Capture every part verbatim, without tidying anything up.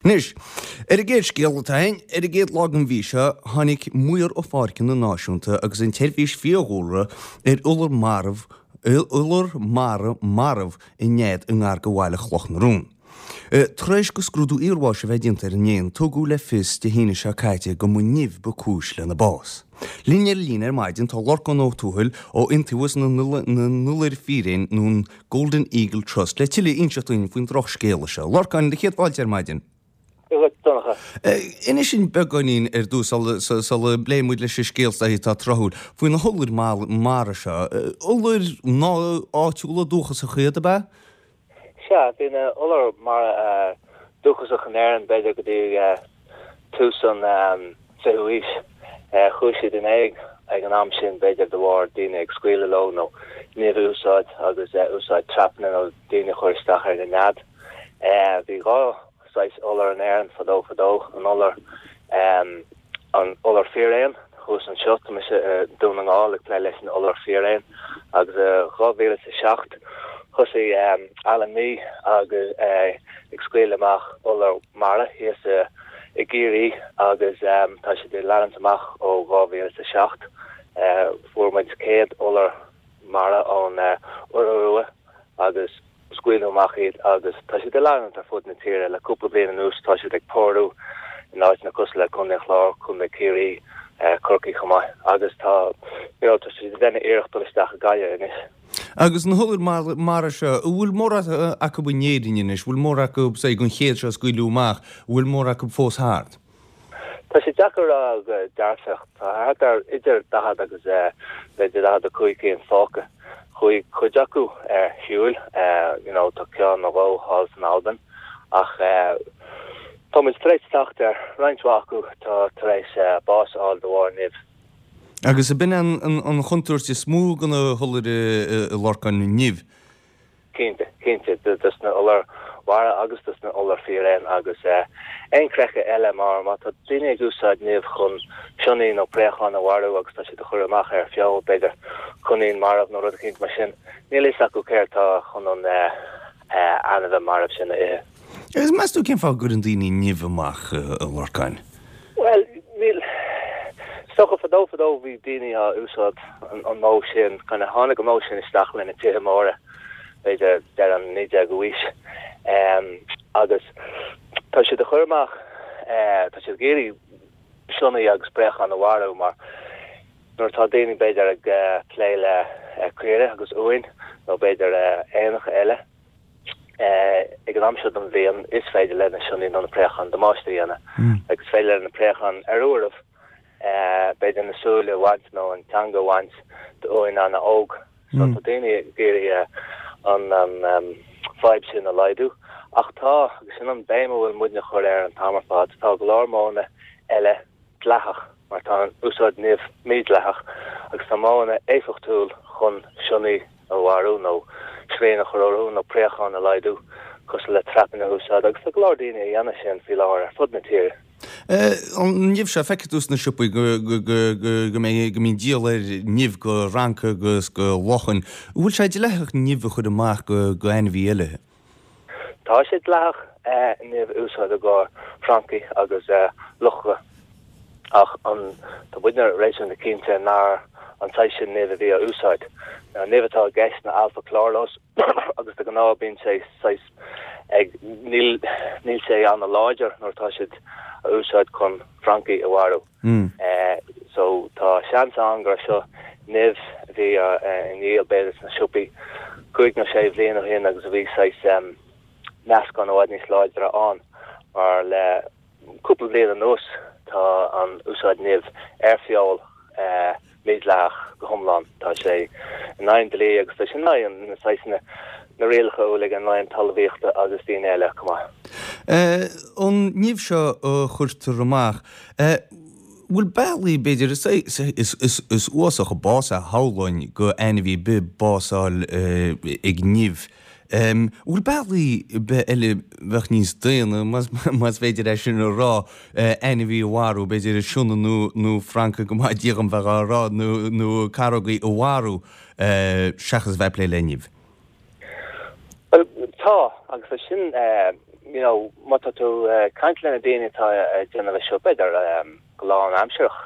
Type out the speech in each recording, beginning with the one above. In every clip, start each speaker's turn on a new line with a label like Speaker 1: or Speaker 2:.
Speaker 1: Anois, ar an gcéad scéal atá againn, ar an gcéad lá den mhí seo, tháinig Maor ó Pháirceanna Náisiúnta agus an tSeirbhís Fiadhúlra ar iolar marbh, iolar mara marbh i nead i ngar do bhaile Chloch na Rón. Tar éis do scrúdú iarbháis a bheith déanta ar an éan, tugadh le fios Dé hAoine seo caite go mba nimh ba cúis lena bás. Linn ar líne ar maidin tá Lorcán Ó Tuathail ó Iontaobhas na nIolar Fíréan nó an Golden Eagle Trust le tuilleadh a inseacht dúinn faoin drochscéala seo. Lorcán, do chéad fáilte ar maidin.
Speaker 2: Donncha.
Speaker 1: Inis dúinn beagáinín ar dtús, sula bpléifidh muid leis an scéal atá tráthúil, faoi na hiolair mara seo. Iolair áitiúla dúchasacha iad, ab ea?
Speaker 2: Sea, bhí na iolair mara dúchasach in Éirinn b'fhéidir go dtí tús an fichiú haois. Chuaigh siad in éag ag an am sin, b'fhéidir de bharr daoine ag scaoileadh leo nó nimh a úsáid agus úsáid trapanna nó daoine a chur isteach ar na nead. Bhí dhá saghas iolar in Éirinn fadó fadó, an iolar, an iolar fíréan, thuas anseo, tá mise i Dún na nGall ag plé leis an iolar fíréan, agus i dhá mhíle is a seacht thosaigh Alan Mee agus ag scaoileadh amach iolar mara thíos i gCiarraí agus tá siad ag leanúint amach ó dhá mhíle is a seacht. Fuair muid céad iolar mara ón Iora Rua agus scaoileadh amach iad agus tá siad ag leanúint ar fud na tíre. Le cúpla bliain anuas tá siad ag pórú in áiteanna cosúil le Contae an Chláir, Contae Chiarraí, Corcaigh chomh maith agus tá you know tá siad ag déanamh iarracht dul isteach i Gaillimh anois.
Speaker 1: Agus na hiolair mara seo, an bhfuil mórán acu in Éirinn anois, an bhfuil mórán acu, say, den chéad seo a scaoileadh amach, an bhfuil mórán acu fós thart?
Speaker 2: Tá sé deacair a rá go dearfach. Tá thart ar idir daichead agus b'fhéidir daichead a cúig cinn fágtha. Chuaigh cuid acu ar shiúil, you know, tá ceann nó dhó thall san Albain ach tá muid tar éis teacht ar roinnt mhaith acu atá tar éis bás a fháil de bharr nimh.
Speaker 1: Agus ab in an chontúirt is mó do na hiolair a Lorcáin, nimh?
Speaker 2: Cinnte, cinnte, dos na iolair mhara agus dos na iolair fíréan agus éanchreiche eile mar má tá daoine ag úsáid nimh chun sionnaigh nó préacháin a mharú agus tá siad a chur amach ar feoil, b'fhéidir coinín marbh nó rud eicínt mar sin, níl a fhios acu céard tá chun an ainmhí marbh sin a ithe.
Speaker 1: Agus meas tú cén fáth a gcuireann daoine nimh amach, a Lorcáin?
Speaker 2: Bhuel, níl. Is dócha fadó fadó bhí daoine á úsáid an modh sin, kind of tháinig an modh sin isteach le na tithe móra, b'fhéidir deireadh an naoi déagú aois. Agus tá siad a chur amach, tá siad ag iarraidh sionnaigh agus préacháin a mharú mar nuair atá daoine b'fhéidir ag plé le caoirigh agus uain nó b'fhéidir éanacha eile, ag an am seo den bhliain is féidir le na sionnaigh nó na préacháin damáiste a dhéanamh agus is féidir le na préacháin ar uairibh b'fhéidir na súile a bhaint nó an teanga a bhaint d'uain an-óg. So tá daoine ag iarraidh an fadhb sin a laghdú. Ach tá, agus sin an béim a bhfuil muidne a chur air an t-am ar fad, tá go leor modhanna eile dleathach, mar tá an úsáid nimh mídhleathach, agus tá modhanna éifeachtúil chun sionnaigh a mharú nó srian a chur orthu nó préacháin a laghdú, cosúil le trapanna a úsáid, agus tá go leor daoine a dhéanamh sin faoi láthair ar fud na tíre.
Speaker 1: An nimh seo, feicfidh tú sna siopaí go go mbeidh go mbíonn díol ar nimh do fhrancaigh agus do lachain. An bhfuil sé dleathach nimh a chur amach go go ainmhí eile?
Speaker 2: Tá sé dleathach nimh a úsáid i gcomhair francaigh agus lucha ach an tá muidne réasúnta cinnte nár an saghas sin nimh a bhí á úsáid. An nimh atá i gceist ná alpha-chloralose agus de ghnáth bíonn sé saghas ag níl níl sé an-láidir nuair atá siad a úsáid chun francaigh a mharú. So tá seans ann gur seo nimh a bhí á ndíol b'fhéidir sna siopaí cúig nó sé bhliain ó shin agus a bhí saghas meascán i bhfad níos láidre ann mar le cúpla bliain anuas tá an úsáid nimh ar feoil mídhleathach go hiomlán. Tá sé in aghaidh an dlí agus tá sé in aghaidh na saghsanna na rialacha uilig an Roinn Talmhaíochta agus daoine eile chomh maith.
Speaker 1: An nimh seo a chuirtear amach, bhfuil bealaí, b'fhéidir, is uafásach an bás é shamhlóinn go ainmhí ar bith bás a fháil ag nimh. Bhfuil bealaí ar bith eile a bheadh níos daonna, más féidir é sin a rá, ainmhí a mharú, b'fhéidir sionna nó nó francaigh go maith Dia dhom bheith á rá, nó nó carógaí a mharú seachas a bheith ag plé le nimh?
Speaker 2: Bhuel, tá, agus é sin you know, má tá tú ag caint le na daoine atá ag déanamh é seo, b'fhéidir go lánaimsearach,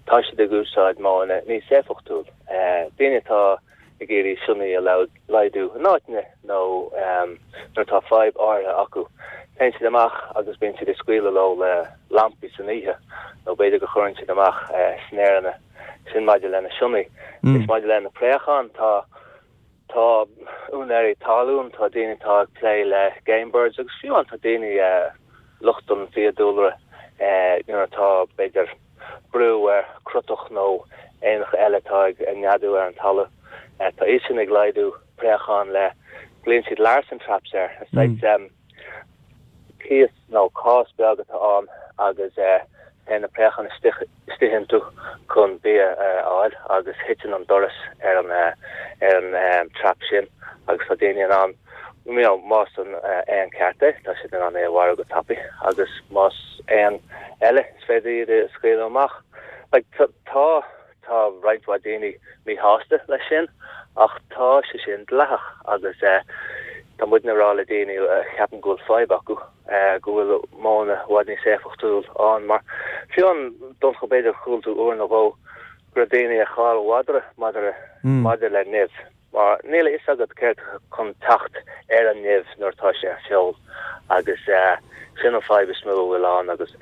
Speaker 2: tá siad ag úsáid modhanna níos éifeachtúil. Daoine atá ag iarraidh sionnaigh a laghdú in áiteanna nó nuair atá fadhb áirithe acu, téann siad amach agus bíonn siad ag scaoileadh leo le lampaí san oíche nó b'fhéidir go chuireann siad amach snaranna, sin maidir le na sionnaigh. Is maidir le na préacháin, tá Tá úinéirí talún, tá daoine atá ag plé le game birds agus fiú amháin tá daoine lucht an fiadhúlra nuair atá b'fhéidir brú ar crotach nó éanacha eile atá ag neadú ar an talamh. Tá iad sin ag laghdú préachán le, glaonn siad Larsen traps air. Is saghas cíos nó cás beag atá ann agus téann na préacháin istigh istigh iontu chun bia a fháil agus thiteann an doras ar an ar an trap sin agus tá daoine in ann you know, más an éan ceart é, tá siad in ann é a mharú go tapaidh agus más éan eile is féidir iad a scaoileadh amach. Like, tá tá roinnt mhaith daoine míshásta leis sin ach tá sé sin dleathach agus tá muidne ag rá le daoine a cheapann go bhfuil fadhb acu go bhfuil modhanna i bhfad níos éifeachtúil ann mar fiú amháin Donncha b'fhéidir chuala tú uair nó dhó go raibh daoine ag cailleadh madra maidir maidir le nimh mar níl a fhios agat céard chun teacht ar an nimh nuair atá sé ar feoil agus sin an fadhb is mó a bhfuil ann agus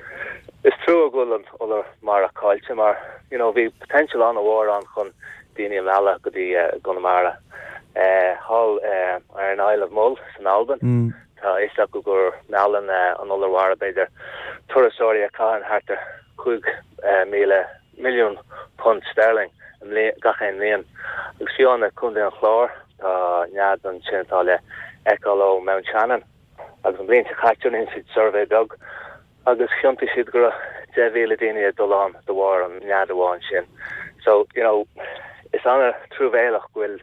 Speaker 2: is trua go bhfuil an iolar mara caillte mar you know bhí potential an-mhór ann chun daoine a mhealladh go dtí Conamara. Thall ar an Isle of Mull san Albain tá a fhios acu gur meallann an iolar mhara b'fhéidir turasóirí a chaitheann thart ar cúig míle milliún punt sterling gach aon bhliain. Agus fiú amháin i Contae an Chláir tá nead ansin atá le feiceáil ó Mount Shannon agus an bhliain seo caite rinne siad suirbhé beag agus chiontaigh siad go raibh deich mhíle daoine ag dul ann de bharr an nead amháin sin. So, you know, is an-truamhéalach go bhfuil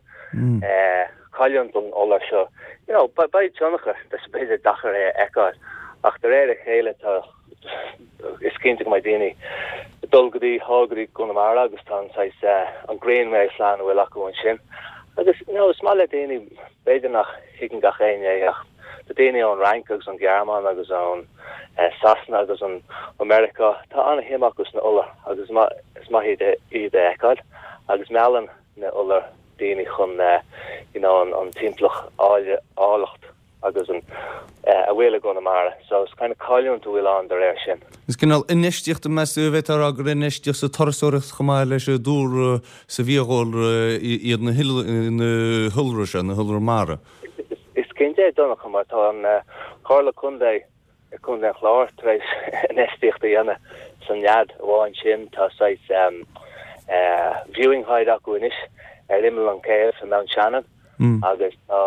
Speaker 2: eh, cailliúint don iolar seo. You know, beidh tionchar, tá sé b'fhéidir deacair é a fheiceáil, ach de réir a chéile tá is cinnte go mbeidh daoine ag dul go dtí thall go dtí Conamara agus tá an saghas eh, an Greenway plan a bhfuil acu ansin. Agus you know, is maith le daoine, b'fhéidir nach thuigeann gach éinne é ach tá daoine ón Fhrainc agus ón Ghearmáin agus ón eh, Sasana agus ón ó Meiriceá, tá an-shuim acu sna iolair agus is maith iad iad a fheiceáil agus meallann na iolair daoine chun eh, you know, an, an timpeallacht áille áilleacht agus an eh, a bhfuil i gConamara. So is kind of cailliúint a bhfuil ann de réir sin.
Speaker 1: Is cineál infheistíocht meas tú a bheith rá gur infheistíocht sa turasóireacht chomh maith leis an dúlra sa bhfiadhúlra iad na hiolair seo, na hiolair mara.
Speaker 2: Is cinnte é Donncha mar tá an Comhairle Contae i Contae an Chláir tar éis infheistíocht a dhéanamh san nead amháin sin tá saghas um, uh, viewing hide acu anois ar imeall an céibh i Mount Shannon agus tá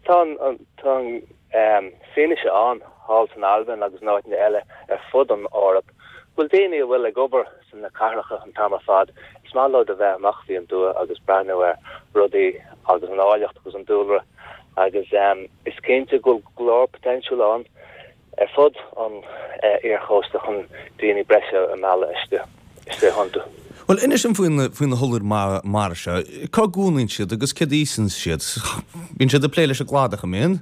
Speaker 2: tá an tá an um, fianaise ann thall san Albain agus in áiteanna eile ar fud an Eoraip. Bhfuil daoine a bhfuil ag obair san na cathracha an t-am ar fad, is maith leo a bheith amach faoin dtuath agus breathnú ar rudaí agus an áilleacht agus an dúlra agus um, is cinnte go bhfuil go leor potential ann ar fud an uh, iarchósta chun daoine breise a mhealladh istigh istigh iontu.
Speaker 1: Well inis dom faoi faoi na hiolair mara seo, cá gcónaíonn siad agus céard a íosann siad. Bíonn siad ag plé leis an gcladach an mbíonn?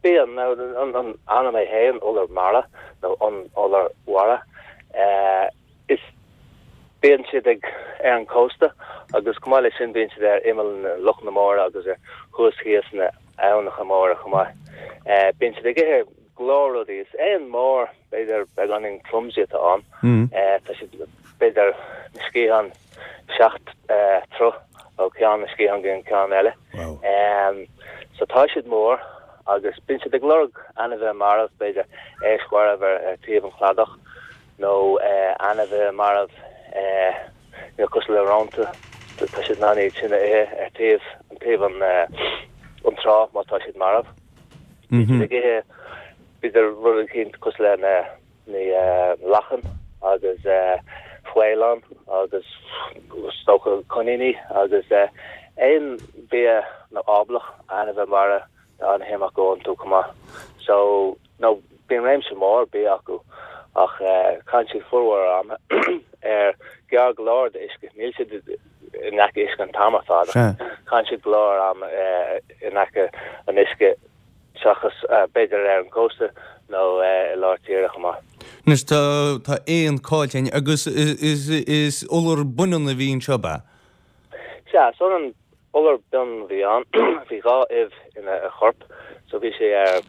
Speaker 2: Bíonn an an ainm é féin iolar mara nó an iolar mhara. Uh, is bíonn siad ag ar an cósta agus chomh maith leis sin bíonn siad ar imeall na lochanna móra agus ar thuas thíos na aibhneacha móra chomh maith. Uh, bíonn siad ag ithe go leor rudaí is éan mór b'fhéidir beagáinín clumsy atá ann. Mm. Uh, tá siad b'fhéidir na sciatháin seacht uh, troigh ó ceann na sciathán go an ceann eile.
Speaker 1: Wow.
Speaker 2: Um, so tá siad mór agus bíonn siad ag lorg ainmhithe marbh b'fhéidir éisc mharbh ar, ar taobh an chladach nó uh, ainmhithe marbh uh, you know, cosúil le rónta tá siad in ann iad sin a ithe ar taobh an taobh an uh, an trá má tá siad marbh. Bíonn siad ag ithe b'fhéidir rud éicint cosúil le na na uh, lachan agus uh, faoileán agus stoca coiníní agus uh, aon bia nó áblach ainmhithe mara tá an-shuim acu iontu chomh maith. So no bíonn réimse mór bia acu ach uh, caitheann siad formhór ama ar gearr go leor d'uisce níl siad in aice uisce an t-am ar fad.
Speaker 1: Sea.
Speaker 2: Caitheann siad go leor ama uh, in aice an uisce seachas b'fhéidir ar an gcósta nó i lár tíre chomh maith.
Speaker 1: Anois tá tá éan caillte againn agus is is iolar baineann a bhí anseo ab ea?
Speaker 2: Sea, so an iolar baineann a bhí ann, bhí dhá ubh ina chorp so bhí sé ar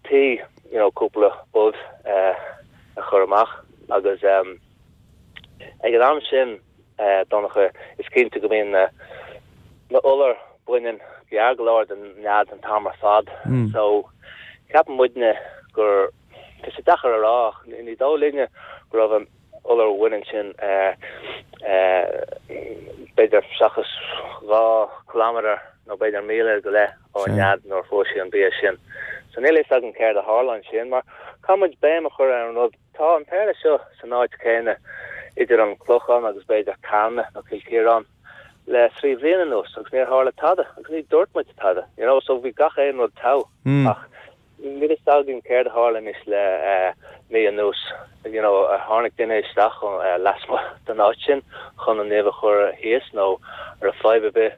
Speaker 2: tí you know cúpla ubh a chur amach agus ag an am sin Donncha is cinnte go mbíonn na na iolair baineann gearr go leor den nead an t-am ar fad so ceapann muidne gur tá sé deacair a rá ach ní dóigh linne go raibh an iolar bhaineann sin b'fhéidir seachas dhá kilometre nó b'fhéidir míle go leith ón nead nuair a fuair sí an bia sin. So níl a fhios againn céard a tharla ansin mar caithfidh muid béim a chur ar an rud tá an péire seo san áit chéanna idir an Clochán agus b'fhéidir Carna nó Cill Chiaráin le trí bhliain anuas agus níor tharla tada agus ní dúirt muid tada you know so bhí gach aon rud togha ach níl a fhios againn céard a tharla anois le mí anuas you know ar tháinig duine isteach lasmuigh den áit sin chun an nimh a chur thíos nó an raibh fadhb ar bith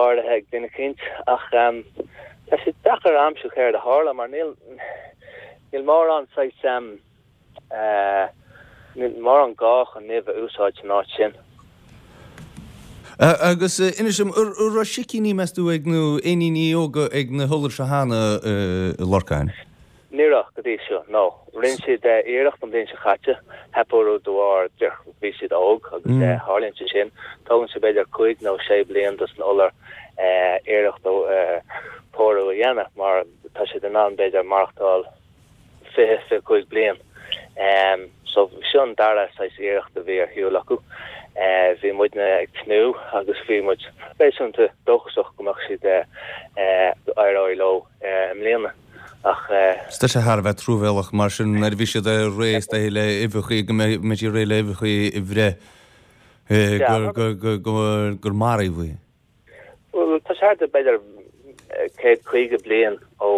Speaker 2: áirithe ag duine eicínt ach um, tá sé deacair a aimsiú céard a tharla mar níl níl mórán saghas um, uh, níl mórán gá chun nimh a úsáid san áit sin.
Speaker 1: Agus inis dom, an raibh sicíní meas tú ag nó éiníní óga ag na hiolair seo cheana a Lorcáin?
Speaker 2: Ní raibh go dtí seo, no. Rinne siad iarracht an bhliain seo caite, theip orthu de bharr bhí siad óg agus tharlaíonn sé sin. Tógann sé b'fhéidir cúig nó sé bliain dos na iolair iarracht pórú a dhéanamh mar tá siad in ann b'fhéidir maireachtáil fiche, fiche cúig bliain. So seo an dara saghas iarracht a bhí ar shiúl acu. Bhí muidne ag tnúth agus bhí muid réasúnta dóchasach go mbeadh siad go éireoidh leo i mbliana. Ach.
Speaker 1: Tá sé thar a bheith truamhéalach mar sin nuair a bhí siad réidh is dóiche le uibheacha go mbeidh siad réidh le uibheacha a bhreith gur maraíodh iad.
Speaker 2: Bhuel, tá sé thart ar b'fhéidir céad caoga bliain ó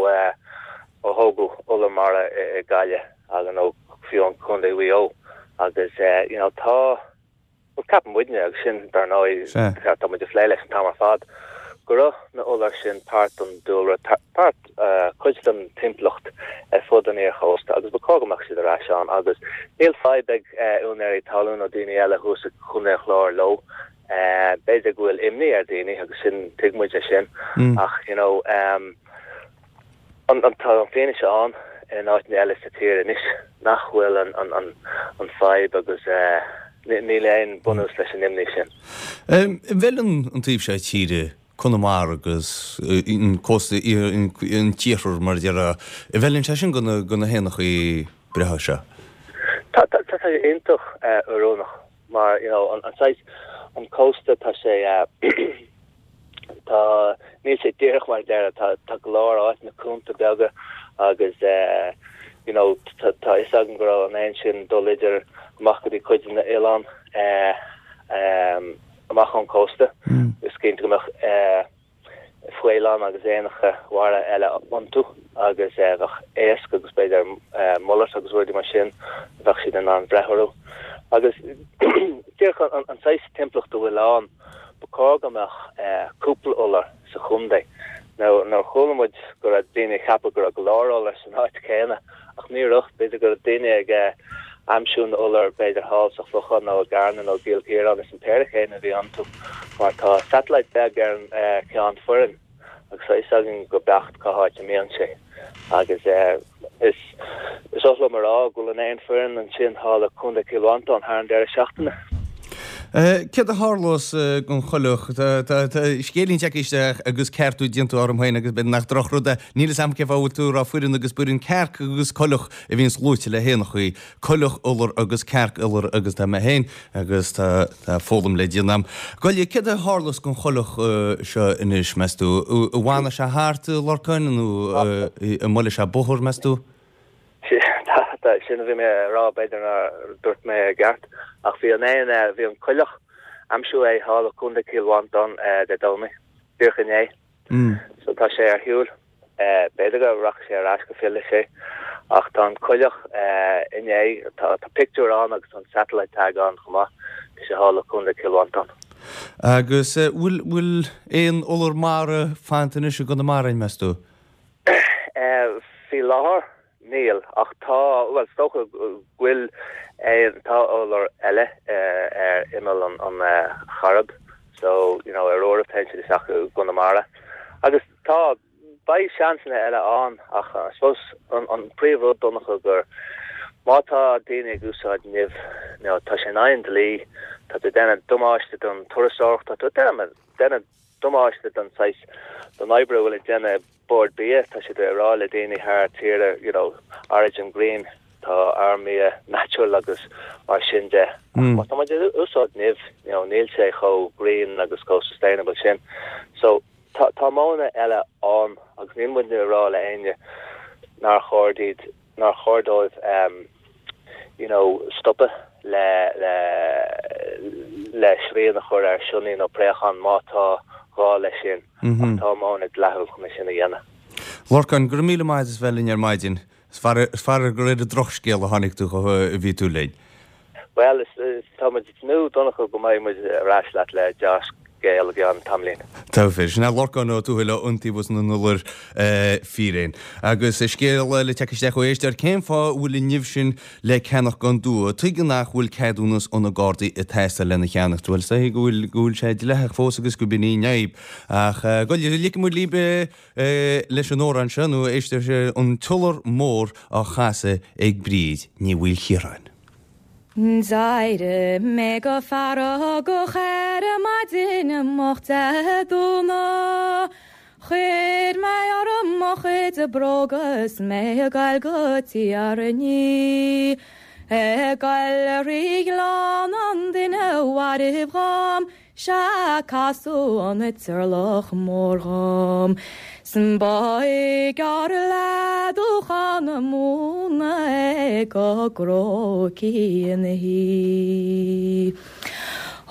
Speaker 2: ó thógadh iolar mara i Gaillimh agus nó fiú i gContae Mhaigh Eo agus you know tá bhuel ceapann muidne agus sin dar ndóigh tá muid ag plé leis an t-am ar fad go raibh na iolair sin páirt den dúlra páirt cuid den timpeallacht ar fud an iarchósta agus ba chóir go mbeadh siad ar ais ann agus níl fadhb ag úinéirí talún nó daoine eile thuas i gContae an Chláir leo. B'fhéidir go bhfuil imní ar dhaoine agus sin tuig muid é sin ach you know um, an an tá an fianaise ann in áiteanna eile sa tír anois nach bhfuil an an an an fadhb agus uh, níl aon bunús leis an imní sin.
Speaker 1: Um, an bhfeileann an taobh seo tíre Conamara agus an cósta an t-iarthar mar a déarfá, an bhfeileann sé sin do na do na héanachaí breátha seo?
Speaker 2: Tá tá tá sé iontach uh, oiriúnach mar you know an an saghas an cósta tá sé tá níl sé díreach mar a déarfá tá tá go leor áiteanna cúnta beaga agus eh you know tá tá fhios againn go raibh an éan sin dul idir amach go dtí cuid de na oileáin eh um amach ón cósta is cinnte go mbeadh eh faoileáin agus éanacha mara eile iontu agus bheadh éisc agus b'fhéidir mullet agus rudaí mar sin bheadh siad in ann breith orthu. Agus díreach an saghas timpeallacht a bhfuil ann, ba chóir go mbeadh cúpla iolar sa chontae. Now nuair a chuala muid go raibh daoine ag ceapadh go raibh go leor iolar san áit chéanna ach ní raibh, b'fhéidir go raibh daoine ag aimsiú na n-iolar b'fhéidir thall sa Chlochán nó i gCarna nó i gCill Chiaráin is an péire chéanna a bhí iontu mar tá satellite beag ar an Cheann Foireann agus tá fhios againn go beacht cá háit a mbíonn sé agus is is oth liom a rá go bhfuil an éan fireann ansin thall i Contae Chill Mhantáin thar an deireadh seachtaine.
Speaker 1: Céard a tharlós don choileach? Tá scéilín tagtha isteach agus ceartú déanta orm féin agus b'fhéidir nach drochrud é. Níl fhios a'm cén fáth a bhfuil tú ag rá fireann agus baineann cearc agus coileach a bhíonns luaite le héanachaí, coileach iolar agus cearc iolar agus tá mé féin agus tá tá foghlaim le déanamh. Goile, céard a tharlós don choileach seo anois, meas tú? An bhfanfaidh sé thart, a Lorcáin, nó an mbuailfidh sé bóthar, meas tú?
Speaker 2: Sin a bhí mé a rá, b'fhéidir nár dúirt mé i gceart, ach bhí an éan, bhí an coileach, aimsíodh é thall i gContae Chill Mhantáin Dé Domhnaigh, díreach inné. So tá sé ar shiúl. B'fhéidir go rachaidh sé ar ais go bhfillfidh sé. Ach tá an coileach inné, tá pictiúr ann agus tá an satellite tag ann chomh maith, bhí sé thall i gContae Chill Mhantáin.
Speaker 1: Agus bhfuil, bhfuil aon iolar mara fanta anois i gConamara, meas tú?
Speaker 2: Faoi láthair níl ach tá well is dócha go bhfuil tá iolar eile ar imeall an an Chairib so you know ar uairibh téann siad isteach i gConamara agus tá beidh seansanna eile ann ach I suppose an an príomhrud Donncha gur má tá daoine ag úsáid nimh you know, tá sé in aghaidh an dlí tá tú déanamh damáiste don turasóireacht tá tú déanamh déanamh damáiste don saghas don obair a bhfuil ag déanamh Bord Bia tá siad ag rá le daoine thar tíre you know origin green tá ár mbia natural agus mar sin de mm. tá muid ag úsáid nimh you know níl sé chomh green agus chomh sustainable sin so tá tá modhanna eile ann agus níl muid ag rá le éinne nár chóir iad nár chóir dóibh um, you know stopadh le le le srian a chur ar sionnach nó préachán má tá gá leis sin mm -hmm. tá modhanna dleathach chun sin a dhéanamh.
Speaker 1: Lorcán go raibh míle maith as bheith linn ar maidin is fearr gur ar drochscéal a tháinig tú a bhí tú linn.
Speaker 2: Well tá nó Donncha go mbeidh muid ar ais leat le dea-scéal i gceann tamaillín.
Speaker 1: Tá fé sin Lorcán Ó Tuathail Iontaobhas na nIolar Fíréan. Agus scéal le teacht isteach ó éisteoir cén fáth bhfuil an nimh sin le ceannach gan dua, Tuige nach bhfuil ceadúnas ó na Gardaí ag teastáil lena cheannach, bhfuil sé go bhfuil go bhfuil sé dleathach fós agus go b'in í an fhadhb. Ach go ligfidh muid libh leis an amhrán seo nó éistear sé an tIolar Mór á chasadh ag Bríd Ní Mhaoilchiaráin.
Speaker 3: D'éirigh mé go feargach ar maidin moch Dé Domhnaigh. Chuir mé orm mo chuid bróga 's mé ag goil go Tír an Fhia. Ag goil thrí ghleann an duine mhairbh dhom, 'sea casadh an Turlach Mór dhom. 'S ba ghearr le dúchan na móna é go gcrócaí ina shuí.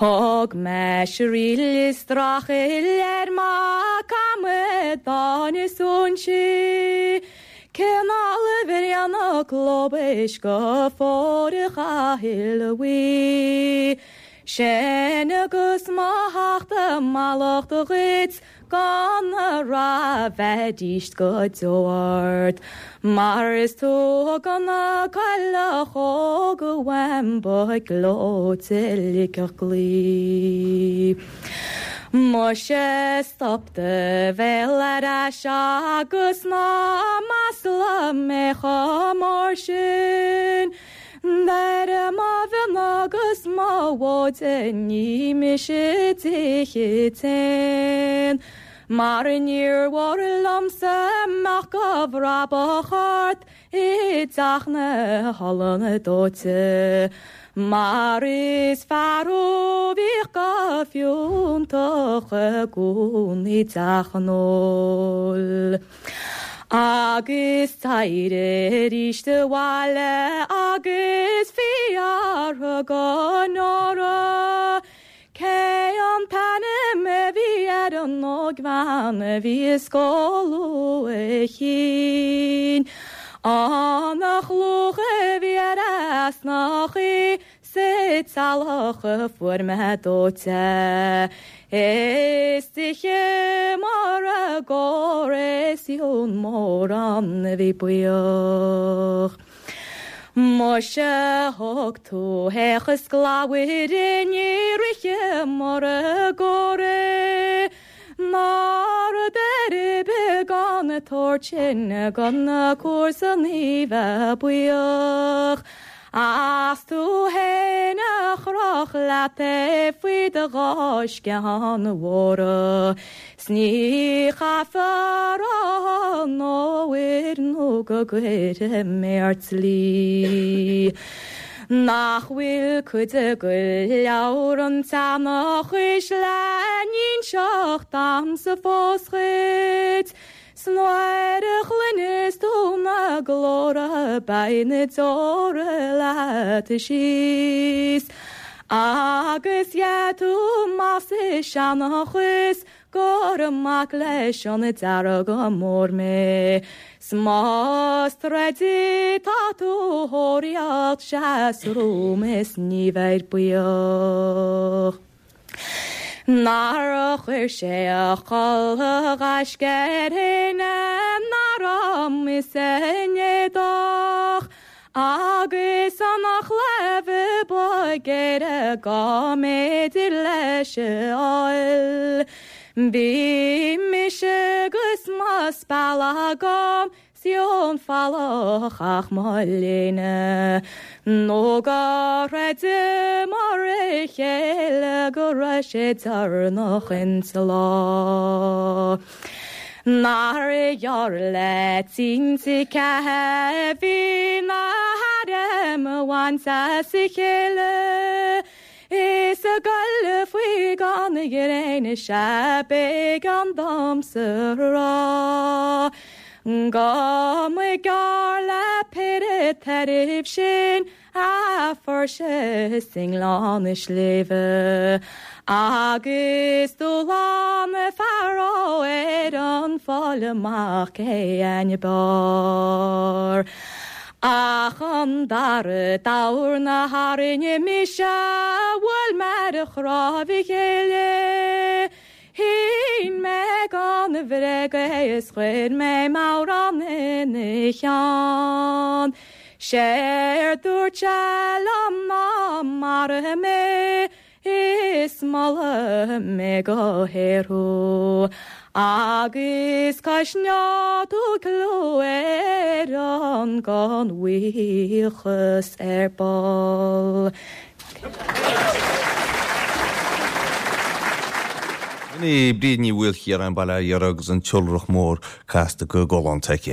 Speaker 3: Thug mé sraoill is streachailt ar mac amadán is óinsí, Cineál a bhíonn lóbais go fóir a chaithil a bhuí. Sin agus mo thachtadh mallacht dhuit gan a rath bheidís go deo ort. Mar is tú a thug an chailleach óg uaim ba ghleoite ligfeadh claí. Muise stop do bhéal ar ais agus ná maslaigh mé chomh mór sin. Deir mo mhionn agus mo mhóide ní mise d'ithe t-éan. Mar níor mhór liomsa mbeadh de bhrabach ort i dteach na holann dóite. Mar is fear thú bhíodh go fiúntach i gcónaí i dteach an óil. Agus d'éirigh arís abhaile agus fiafraigh go Nóra. Cé an t-ainm a bhí ar an ógbhean a bhí ag scoladh a chinn. An chlúch a bhí ar easnachaí sa teallach a fuair mé dóite. Is tithe móra go réasún mórán a bhí buíoch. Muise thug tú théachas glabhair ní ríthe mar a gcóir. Ná rud ar bith gan an tabhairt sin gan na comharsanaí bheith buíoch. As tú fhéin a chroch leat é faoi do dhá sciathán mhóra. 'S ní chaithfear a rá an uair nó go gcuirfidh mé ort dlí. Nach bhfuil cuid de leabhar an tseanchais le n-inseacht damsa fós dhuit. 'S nuair a chluineas tú na glórtha beidh na deora leat síos. Agus gheobhaidh tú amach sa seanchas gur mac leis an Dearg Mór mé. 'S más troid tá tú a thóraíocht seas romham is ní bheir buíoch. Nár chuir sé a chulaith ghaisce air fhéin nár arm is an éadach agus an chlámha ba ghéire go mb'fhéidir leis a fháil. Bhí mise agus mo speal agam 's ón bhfalach ach mo léine, nó go gcreideamar a chéile go raibh sé deireanach insa lá. Nár ghearr le tinte ceatha bhí na hairm a bhaint as a chéile, Is a ghoil faoi gan a ghréine sea b'éigean domsa a rá. Go mba ghearr le péire tairbh sin a fuair sé i nGleann na Sléibhe, agus do ghlan fear ó ar an fáil amach cé ainne b'fhearr. Ach an dara dorn a tharraing mise bhuail mé ar chnámh a chéile. Shín mé gan a bhréag é is chuir mé m'amhrán ina cheann. Séard dúirt sé liom ná maraigh mé is molfaidh mé go haer thú. Agus coisneoidh tú clú Éireann gan bhuíochas ar ball.
Speaker 1: Sin í Bríd Ní Mhaoilchiaráin, Baile Átha Iora agus an tIolrach Mór casta go galánta aici.